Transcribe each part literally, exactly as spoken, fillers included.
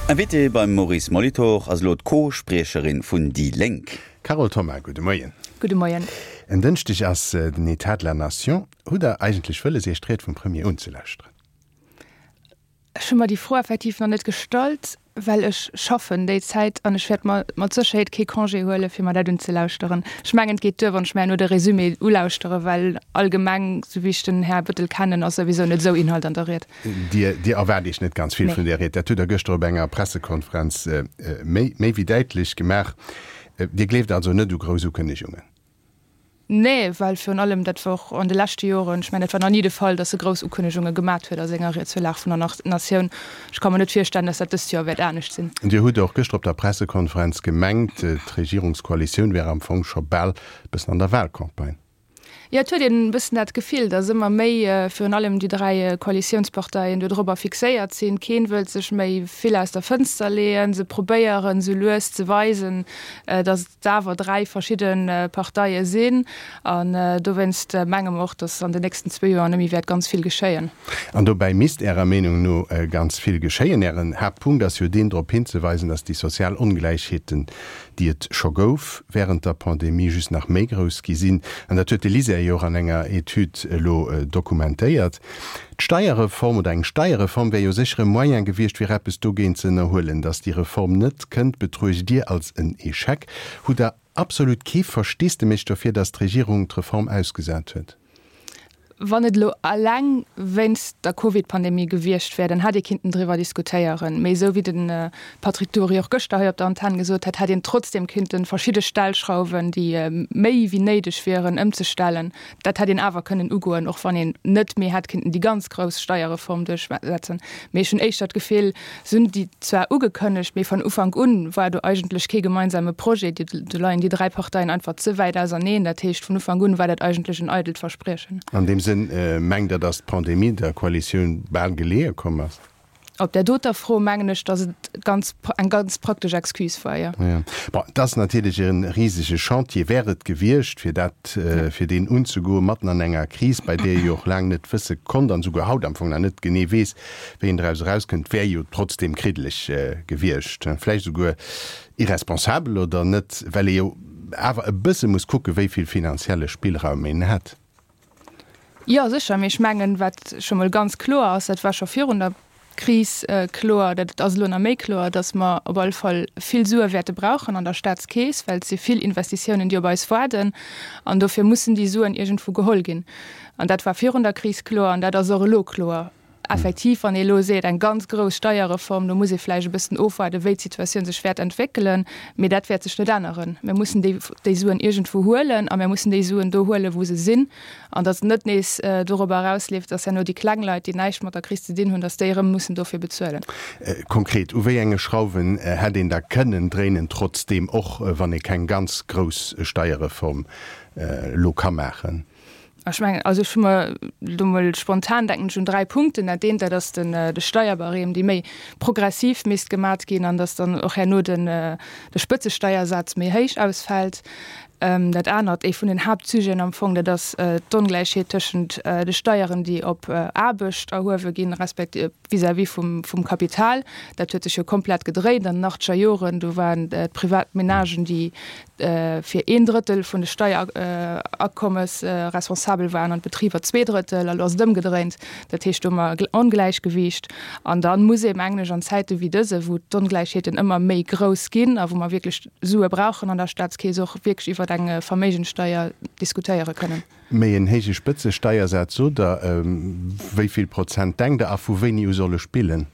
Invitée beim Maurice Molitor ass elo d'Co-Spriecherin vun déi Lénk. Carole Thoma, gudde Moien. Gudde Moien. En Dënschdeg ass den Etat de la Nation. Hutt Der eigentlech wëlles, Iech d'Ried vum Premier unzelauschteren? Ech hu mer déi Fro effektiv nach net gestallt, well ech schaffen déi Zäit an ech wäert mer mat Sécherheet kee Congé huele fir mer dat unzelauschteren. Ech mengen, et geet duer, wann ech mer herno de Résumé ulauschtere, well allgemeng, sou wéi ech den Här Bettel kennen, ass souwisou net esou Inhalt an der Ried. Dir, Dir erwaart Iech net ganz vill vun där Ried. Dat hutt Der gëschter op enger Pressekonferenz méi, méi wéi däitlech gemaach. Dir gleeft also net u grouss Ukënnegungen? Nee, well virun allem, dat war och an de leschte Joren, ech mengen, dat war nach ni de Fall, datt e grouss Ukënnegunge gemat huet a senger Ried zur Lag vun der Natioun. Ech ka mer net virstellen, datt dat dëst Joer wäert anescht sinn. Dir hutt och gëschter op der Pressekonferenz gemengt, d'Regierungskoalitioun wär am Fong scho bal e bëssen an der Wahlcampagne. Jo, et huet een e bëssen dat Gefill, datt ëmmer méi virun allem déi dräi Koalitiounsparteien do dorobber fixéiert sinn. Keen wëllt sech méi vill aus der Fënster leeën. Se probéieren esou lues ze weisen, datt et awer dräi verschidde Parteie sinn. An dowéinst menge mer och, datt an den nächsten zwee Joer net méi wäert ganz vill geschéien. An dobäi misst Ärer Meenung no ganz vill geschéien. Ären Haaptpunkt ass jo deen, drop hinzeweisen, datt déi sozial Ongläichheeten, déi et scho gouf wärend der Pandemie, just nach méi grouss gi sinn. An dat huet de LISER jo och an enger Etüd elo dokumentéiert. D'Steierreform oder eng Steierreform wär jo sécher e Moyen gewiescht, fir eppes dogéint ze ënnerhuelen. Datt déi Reform net kënnt, betruecht Dir als en Echec. Hutt Der absolut kee Versteesdemech dofir, datt d'Regierung d'Reform ausgesat huet? Wann et elo eleng wéinst der Covid-Pandemie gewiescht wär, dann hätt ee kinnten driwwer diskutéieren. Mee esou wéi de Patrick Dury och gëschter hei op der Antenn gesot hätt, hätt een trotzdeem kinnte verschidde Stellschrauwen, déi méi wéi néideg wieren, ëmzestellen. Dat hätt een awer kënnen ugoen, och wann een net méi hätt kinnten déi ganz grouss Steierreform duerchsetzen. Mee ech hunn éischter d'Gefill, se hunn déi zwar ugekënnegt, mee von Ufank un war do eigentlech kee gemeinsame Projet. Do leien déi dräi Parteien einfach ze wäit auserneen. Dat heescht, vun Ufank un war dat eigentlech en eidelt Verspriechen. An deem Sënn mengt Der, datt d'Pandemie der Koalitioun bal geleeë komm ass? Op där doter Fro mengen ech, datt et ganz, eng ganz praktesch Excuse war, jo. Jo. Bon, et ass natierlech e risege Chantier, wär et gewiescht, fir dat, fir deen unzegoen, matten an enger Kris, bei där ee jo och laang net wësse konnt an esouguer haut am Fong nach net genee weess, wéi een draus erauskënnt, wär jo trotzdeem kriddeleg gewiescht, vläicht esouguer irresponsabel oder net, well ee jo awer e bësse muss kucken, wéi vill finanzielle Spillraum een hätt. Jo, sécher. Mee ech mengen, wat scho mol ganz kloer ass, dat war scho virun der Kris kloer, dat ass elo nach méi kloer, datt mer op alle Fall vill Sue wäerte brauchen an der Staatskeess, well et si vill Investitiounen, déi op eis waarden. An dofir mussen déi Suen iergendwou geholl ginn. An dat war virun der Kris kloer an dat ass och elo kloer. Effektiv, wann ee elo seet, eng ganz grouss Steierreform, do muss ee vläicht e bëssen ofwaarden, wéi d'Situatioun sech wäert entwéckelen. Mee dat wäert sech net änneren. Mir mussen déi, déi Suen iergendwou huelen a mir mussen déi Suen do huelen, wou se sinn. An datt et net nees dorobber erausleeft, datt herno déi kleng Leit, déi näischt mat der Kris ze dinn hunn, datt déi erëm mussen dofir bezuelen. Konkret, u wéi enge Schrauwen hätt een da kënnen dréinen, trotzdeem, och wann ee keng ganz grouss Steierreform elo ka maachen? Ech mengen, also ech hu mer elo mol spontan, denken ech un dräi Punkten. Dat eent, dat ass den, de Steierbarème, dee méi progressiv misst gemat ginn an dass dann och herno den, de Spëtzesteiersaz méi héich ausfält. Dat anert, ee vun den Haaptsujeten am Fong, dat ass d'Ongläichheet tëschent de Steieren, déi op Aarbecht erhuewe ginn, respektiv vis-à-vis vum, vum Kapital. Dat huet sech jo komplett gedréint an den achtzeger Joren. Do waren d'privat Menagen, déi fir een Drëttel vun de Steierakommes responsabel waren an d'Betriber zwee Drëttel. Elo ass et ëmgedréint. Dat heescht, do hu mer e Ongläichgewiicht. An da muss ee, mengen ech, an Zäite wéi dëse, wou d'Ongläichheeten ëmmer méi grouss ginn a wou mer wierklech Sue brauchen an der Staatskeess, och wierklech iwwer eng Verméigenssteier diskutéiere kënnen. Méi en héije Spëtzesteiersaz, sot Der. Wéi vill Prozent denkt Der a vu wéini u soll e spillen?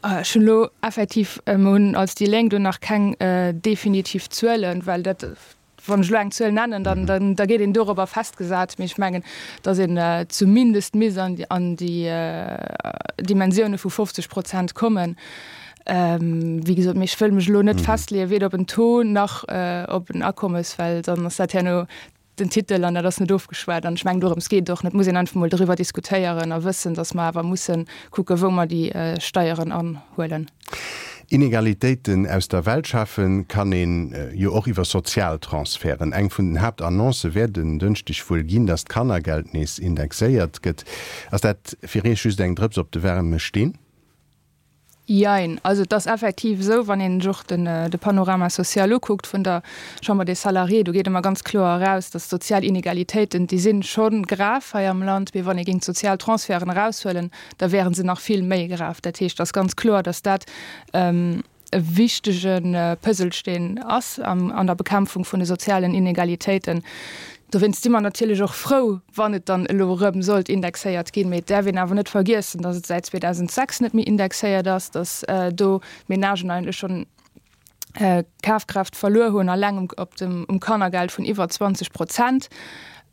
Ech hunn elo effektiv, mer hunn als déi Lénk do nach keng definitiv Zuelen, well dat, wann ech elo eng Zuel nennen, dann, dann, da gétt een dorobber festgesat. Mee ech mengen, datt een zumindest misst an, an déi Dimensioune vu fofzeg Prozent kommen. Wéi gesot, mee ech wëll mech elo net festleeën, weder op en Taux nach op en Akommes, well dann ass dat herno den Titel an dat ass net ofgeschwat. An ech mengen, dorëms geet et och net. Et muss een einfach emol doriwwer diskutéieren a wëssen, datt mer awer musse kucken, wou mer déi Steieren anhuelen. Inegalitéiten aus der Welt schafen kann ee jo och iwwer Sozialtransferten. Eng vun den Haaptannoncë wäert en Dënschdeg wuel ginn, datt d'Kannergeld nees indexéiert gëtt. Ass dat fir Iech just eng Drëps op de waarme Steen? Jein. Also et ass effektiv esou, wann een sech och den, de Panorama social ukuckt vun der Chambre des Salariés, do geet ëmmer ganz kloer eraus, dass d'sozial Inegalitéiten, déi si scho grav hei am Land, mee wann ee géing d'sozial Transferten eraushuelen, da wäre se nach vill méi grav. Dat heescht, et ass ganz kloer, dass dat e wichtege Puzzlesteen ass an der Bekämpfung vun de sozialen Inegalitéiten. Dowéinst si mer natierlech och frou, wann et dann elo erëm sollt indexéiert ginn. Mee et däerf een awer net vergiessen, datt et säit zweedausendsechs net méi indexéiert ass, datt do d'Menagen eigentlech schonn Kafkraaft verluer hunn, alleng op dem, um Kannergeld vun iwwer zwanzeg Prozent.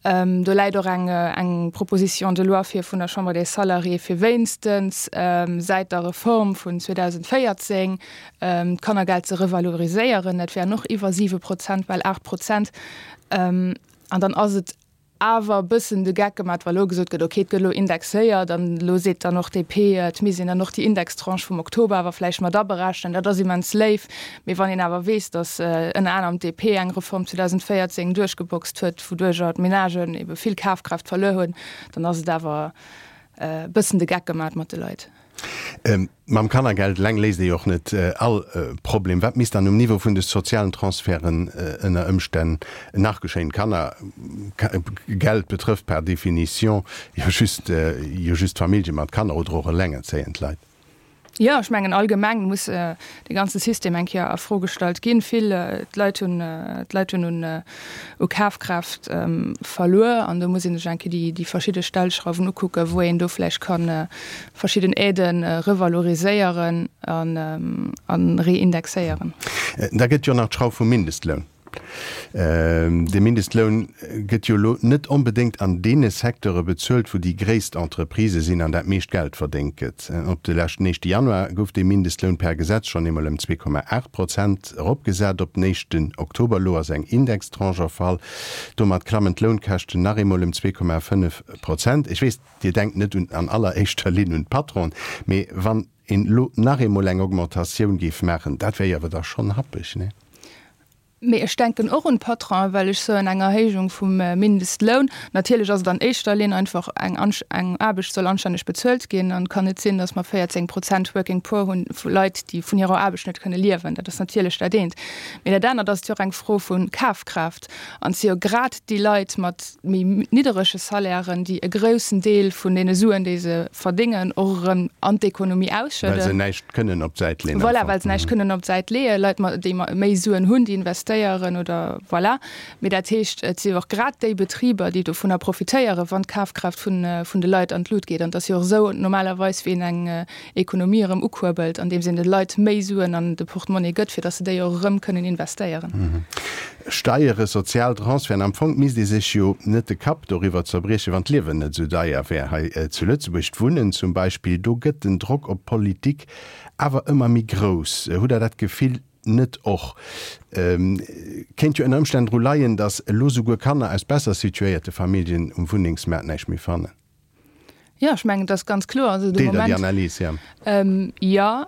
Do läit och eng, eng Proposition de loi vir vun der Chambre des Salariés, fir wéinstens säit der Reform vun zweedausendvéierzéng d'Kannergeld ze revaloriséieren. Dat wären och iwwer siwe Prozent, bal aacht Prozent. An dann ass et awer e bëssen de Geck gemat, wa lo gesot gëtt, okay, et gëtt elo indexéiert an elo seet dann och d'D P, et misst een dann och déi Indextranche vum Oktober awer vläicht mat aberechnen. Dat ass immens léif, mee wann een awer weess, datt ënner anerem d'D P eng Reform zweedausendvéierzéng duerchgeboxt huet, wouduercher d'Menagen ebe vill Kafkraaft verluer hunn, dann ass et awer e bëssen de Geck gemat mat de Leit. Mam Kannergeld eleng léist ee jo och net all Problem. Wat misst dann um Niveau vun de sozialen Transferten ënner Ëmstänn nach geschéien? D'Kannergeld betrëfft per définition jo just jo just Famillje mat Kanner oder och elengerzéiend Leit. Jo, ech mengen allgemeng muss dee ganze System eng Kéier a Fro gestallt ginn. Vill d'Leit hunn d'Leit hunn un u Kafkraaft verluer an do muss ee sech eng Kéier déi déi verschidde Stellschrauwen ukucken, wou een do vläicht ka verschidden Aiden revaloriséieren an an reindexéieren. Da gëtt jo nach d'Schrauf vum Mindestloun. De Mindestloun gëtt jo elo net onbedéngt an deene Secteure bezuelt, wou déi gréisst Entreprisë sinn an dat meescht Geld verdéngt gëtt. Op de leschten éischte Januar gouf dee Mindestloun per Gesetz schonn eemol ëm zwee Komma aacht Prozent eropgesat. Op den éischten Oktober elo ass eng Indextranche erfall. Domat klammen d'Lounkäschten nach eemol ëm zwee Komma fënnef Prozent. Ech weess, Dir denkt net un an alleréischter Linn un d'Patronen, mee wann een elo nach eemol eng Augmentatioun géif maachen, dat wär jo awer da schonn happeg, nee? Mee ech denken och un d'Patronen, well ech soen, eng Erhéijung vum Mindestloun, natierlech ass et an éischter Linn einfach eng eng Aarbecht soll anstänneg bezuelt ginn an et kann net sinn, datt mer véierzéng Prozent Working Poor hunn vu Leit, déi vun hirer Aarbecht net kënne liewen. Dat ass natierlech dat eent. Mee dat anert ass, et jo och eng Fro vu Kafkraaft an et si jo grad déi Leit mat méi nidderege Salairen, déi e groussen Deel vun deene Suen, déi se verdéngen, och erëm an d'Ekonomie ausschëdden. Well se näischt kënnen op d'Säit leeën am Voilà, well se näischt kënnen op d'Säit leeën. Leit, déi méi Suen hunn, déi investéieren oder voilà. Mee dat heescht, et si jo och grad déi Betriber, déi dovunner profitéieren, wann d'Kafkraaft vun, vun de Leit an d'Lut geet. An et ass jo och esou normalerweis, wéi een eng Ekonomie erëm ukuerbelt, andeems een de Leit méi Suen an de Portemonnaie gëtt, fir datt se déi och erëm kënnen investéieren. Steiere, sozial Transferten, am Fong misst ee sech jo net de Kapp doriwwer zerbriechen, wann d'Liewen net esou deier wär hei zu Lëtzebuerg. D'Wunnen zum Beispill, do gëtt den Drock op d'Politik awer ëmmer méi grouss. Hutt Der dat Gefill net och? Kéint jo ënner Ëmstänn dru leien, datt elo souguer Kanner aus besser situéierte Familljen um Wunnengsmaart näischt méi fannen. Jo, ech mengen, et ass ganz kloer. Also de Deelt Der déi Moment, Analys? Jo. jo.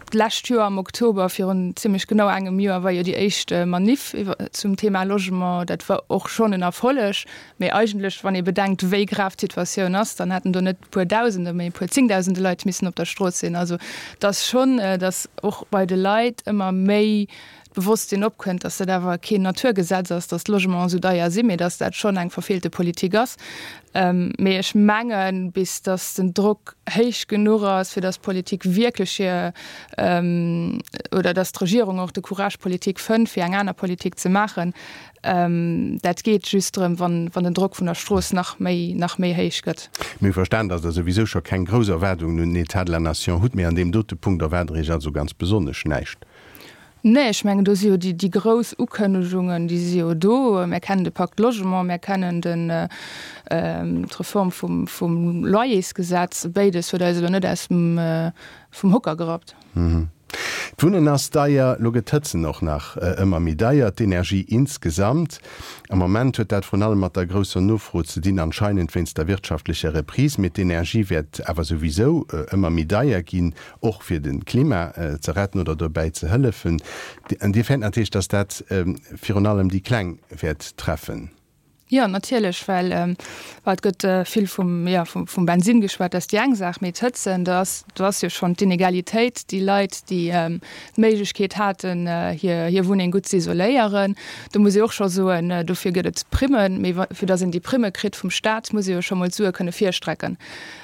D'lescht Joer am Oktober, virun zimlech genau engem Joer, war jo déi éischt Maniff zum Thema Logement. Dat war och schonn en Erfolleg. Mee eigentlech, wann ee bedenkt, wéi grav d'Situatioun ass, dann hätten do net e puer Dausende, mee e puer Zéngdausende Leit missen op der Strooss sinn. Also et ass schonn, datt och bei de Leit ëmmer méi d'Bewosstsinn opkënnt, datt dat awer keen Naturgesetz ass, datt d'Logementen esou deier sinn, mee datt dat schonn eng verfeelte Politik ass. Mee ech mengen, bis datt den Drock héich genuch ass, fir datt d'Politik wierklech hir, oder datt d'Regierung och de Courage politique fënnt, fir eng aner Politik ze maachen, dat geet just erëm, wann den Drock vun der Strooss nach méi, nach méi héich gëtt. Mir hu verstan, datt Der souwisou scho keng grouss Erwaardungen un den État de la Nation hutt, mee an deem dote Punkt erwaart Der Iech also ganz besonnesch näischt. Nee, ech mengen, do si jo déi, déi grouss Ukënnegungen, déi si jo do. Mir kennen de Pacte Logement, mir kennen den, d'Reform vum, vum Loyersgesetz. Béides huet eis elo net aus dem, vum Hocker gerappt. D'Wunnen ass deier, lo gëtt d'Hëtzen och nach ëmmer méi deier, d'Energie insgesamt. Am Moment huet dat vrun allem mat der grousser Nofro ze dinn, anscheinend wéinst der wirtschaftlecher Reprise. Mee d'Energie wäert awer souwisou ëmmer méi deier ginn, och fir de Klima ze retten oder dobäi ze hëllefen. An Dir fäert natierlech, datt dat virun allem déi Kleng wäert treffen. Jo, natierlech, well et gëtt vill vum, jo, vum Bensinn geschwat, dat ass déi eng Saach, mee d'Hëtzen, do ass, do ass jo schonn d'Inegalitéit, déi Leit, déi d'Méiglechkeet haten, hir, hir Wunneng gutt ze isoléieren, do muss ee och scho soen, dofir gëtt et Primmen, mee fir datt een déi Primme kritt vum Staat, muss ee jo scho mol d'Sue kënne virstrecken.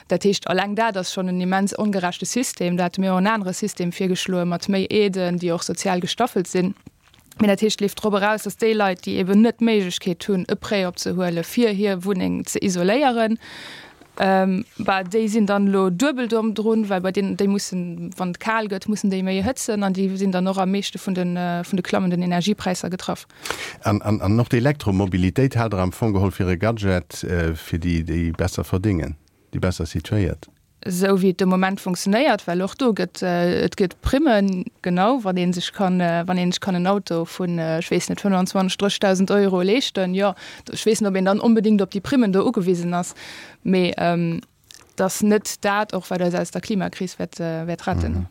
Dat heescht, alleng dat ass schonn en immens ongerechte System. Do hate mir och en anere System virgeschloe mat méi Aiden, déi och sozial gestaffelt sinn. Mee dat heescht, et leeft drop eraus, datt déi Leit, déi eben net d'Méiglechkeet hunn, e Prêt opzehuele fir hir Wunneng ze isoléieren, bah, déi sinn dann elo duebel domm drun, well bei deenen, déi mussen, wann et kal gëtt, mussen déi méi hëtzen an déi sinn dann och am meeschte vun de, vun de klammenden Energiepräisser getraff. An, an, an och d'Elektromobilitéit haalt Der am Fong geholl fir e Gadget fir déi, déi besser verdéngen, déi besser situéiert? Esou wéi et de Moment funktionéiert, well och do gëtt et gëtt Primmen, genau, wann ee sech kann, wann ee sech kann en Auto vun, ech weess net, fënnwanzwanzeg, drëssigtausend Euro leeschten, jo, ech weess net, ob een dann onbedéngt op déi Primmen do ugewisen ass, mee et ass net dat och, wat eis aus der Klimakris wäert, wäert retten.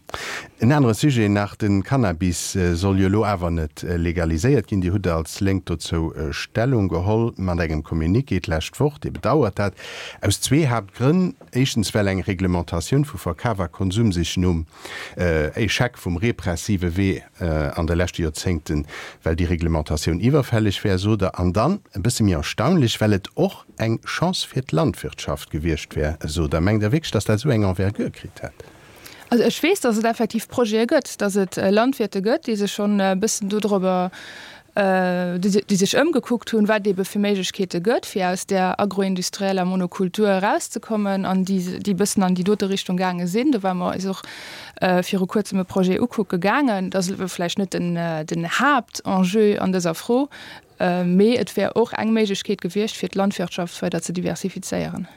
En anere Sujet nach, De Cannabis soll jo elo awer net legaliséiert ginn. Dir hutt als Lénk dozou Stellung geholl mat engem Communiqué d'lescht Woch. Dir bedauert dat aus zwee Haaptgrënn. Éischtens, well eng Reglementatioun vu Verkaf a Konsum sech nom Echec vum repressive Wee an de leschte Joerzéngten, well déi Reglementatioun iwwerfälleg wär, sot Der. An dann, e bësse méi erstaunlech, well et och eng Chance fir d'Landwirtschaft gewiescht wär, sot Der. Mengt Der wierklech, datt dat esou eng Envergure kritt hätt? Also ech weess, datt et effektiv Projete gëtt, datt et Landwirte gëtt, déi sech schonn e bëssen dodrobber, déi sech ëmgekuckt hunn, wat et ebe fir Méiglechkeete gëtt, fir aus där agroindustrieller Monokultur erauszekommen an déi e bëssen an déi dote Richtung gaange sinn. Do ware mer eis och viru Kuerzem e Projet ukucke gaangen. Dat ass elo vläicht net den Haaptenjeu an dëser Fro, mee et wär och eng Méiglechkeet gewiescht, fir d'Landwirtschaft weider ze diversifizéieren.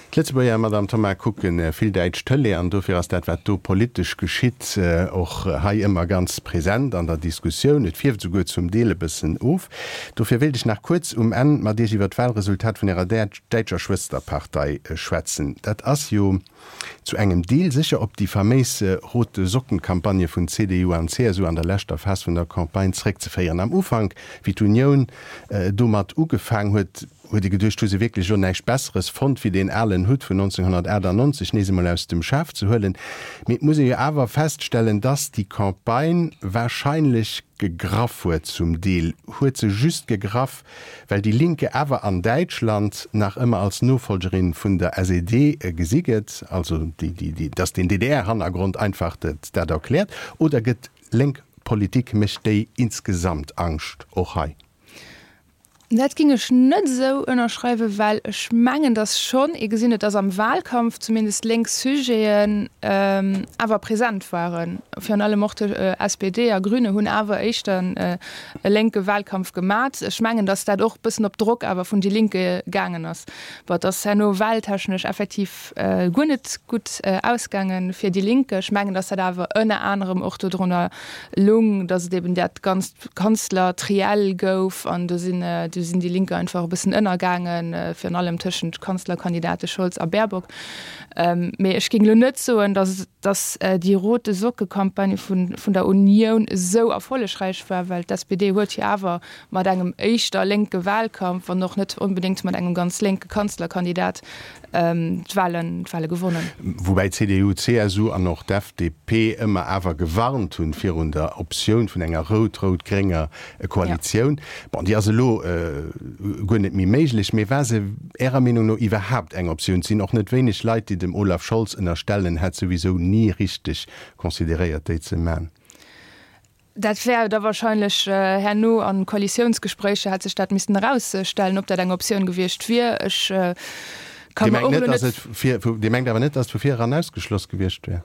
D'Lëtzebuerger, Madame Thoma, kucke vill däitsch Tëlee an dofir ass dat, wat do politesch geschitt, och hei ëmmer ganz present an der Diskussioun. Et fierft esouguer zum Deel e bëssen of. Dofir wéilt ech nach kuerz um Enn mat Iech iwwer d'Wahlresultat vun Ärer däitscher Schwësterpartei schwätzen. Dat ass jo zu engem Deel sécher op déi faméis Rote Socken-Campagne vun C D U an C S U an der leschter Phas vun der Campagne zréckzeféieren. Am Ufank, wéi d'Unioun domat ugefaang huet, huet ee geduecht, hu se wierklech elo näischt Besseres fonnt, wéi deen alen Hutt vun nonzénghonnertaachtanneunzeg nees emol aus dem Schaf ze huelen. Mee et muss ee jo awer feststellen, dass déi Campagne wahrscheinlech gegraff huet, zum Deel huet se just gegraff, well déi Linke awer an Däitschland nach ëmmer als Nofolgerin vun der S E D gesi gëtt, also déi, déi, déi, dass den D D R-Hannergrond einfach dat, dat erkläert. Oder gëtt lénk Politik, mécht déi insgesamt Angscht, och hei? Dat géing ech net esou ënnerschreiwen, well ech mengen, datt schonn ee gesinn huet, datt am Wahlkampf zumindest lénk Sujeten awer present waren. Virun allem och de S P D a Grüne hunn awer éischter e lénke Wahlkampf gemat. Ech mengen, datt dat och e bëssen op Drock awer vun déi Linke gaangen ass. Bon, et ass herno wahltechnesch effektiv guer net gutt ausgaange fir déi Linke. Ech mengen, datt dat awer ënner anerem och dodrunner lung, datt et eben dat ganzt Kanzler-Triell gouf an do sinn do sinn déi Linke einfach e bëssen ënnergaangen, virun allem tëschent Kanzlerkandidate Scholz a Baerbock. Mee ech géing elo net soen, datt datt déi Rote Socke-Campagne vun vun der Unioun esou erfollegräich war, well d'S P D huet jo awer mat engem éischter lénke Wahlkampf, wann och net onbedéngt mat engem ganz lénke Kanzlerkandidat, d'Wahlen d'Wahle gewonnen. Woubäi d'C D U, d'C S U an och d'F D P ëmmer awer gewarnt hunn virun der Optioun vun enger rout-rout-grénger Koalitioun. Bon, déi ass elo guer net méi méiglech, mee war se Ärer Meenung no iwwerhaapt eng Optioun? Et sinn och net wéineg Leit, déi dem Olaf Scholz ënnerstellen, en hätt souwisou ni richteg consideréiert, déi ze man. Dat wär da wahrscheinlech herno an Koalitiounsgespréicher hätt sech dat missten erausstellen, ob dat eng Optioun gewiescht wier. Ech ka Dir mer mengt och net, elo dass net. et vir, Dir mengt awer net, dass et vu vir eran ausgeschloss gewiescht wär?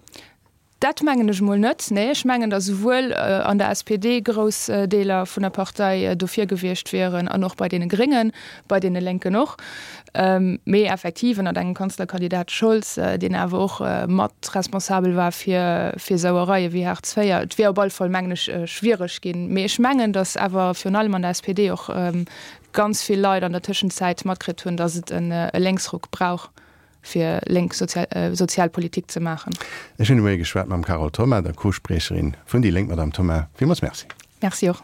Dat mengen ech emol net, nee. Ech mengen, datt souwuel an der S P D grouss Deeler vun der Partei dofir gewiescht wieren an och bei deene Gréngen, bei deene Lénken och. Mee effektiv ënnert engem Kanzlerkandidat Scholz, deen awer och mat responsabel war fir fir Sauereie wéi Hartz véier. Et wier op alle Fall, mengen ech, schwiereg ginn. Mee ech mengen, datt awer virun allem an der S P D och ganz vill Leit an der Tëschenzäit matkritt hunn, datt et e Lénksruck brauch, fir lénk Sozialpolitik ze maachen. Ech hunn de Moie geschwat mam Carole Thoma, der Co-Spriecherin vun déi Lénk. Madame Thoma, villmools Merci. Merci och.